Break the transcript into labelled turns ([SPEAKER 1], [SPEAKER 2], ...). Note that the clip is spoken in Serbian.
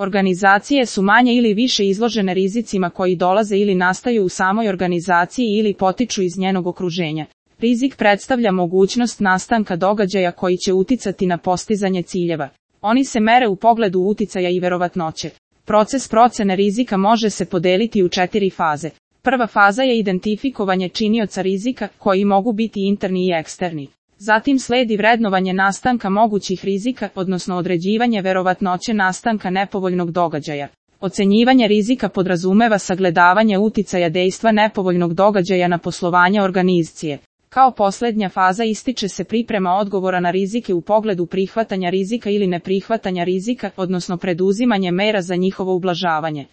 [SPEAKER 1] Organizacije su manje ili više izložene rizicima koji dolaze ili nastaju u samoj organizaciji ili potiču iz njenog okruženja. Rizik predstavlja mogućnost nastanka događaja koji će uticati na postizanje ciljeva. Oni se mere u pogledu uticaja i verovatnoće. Proces procene rizika može se podeliti u 4 faze. Prva faza je identifikovanje činioca rizika, koji mogu biti interni i eksterni. Zatim sledi vrednovanje nastanka mogućih rizika, odnosno određivanje verovatnoće nastanka nepovoljnog događaja. Ocenjivanje rizika podrazumeva sagledavanje uticaja dejstva nepovoljnog događaja na poslovanje organizacije. Kao posljednja faza ističe se priprema odgovora na rizike u pogledu prihvatanja rizika ili neprihvatanja rizika, odnosno preduzimanje mera za njihovo ublažavanje.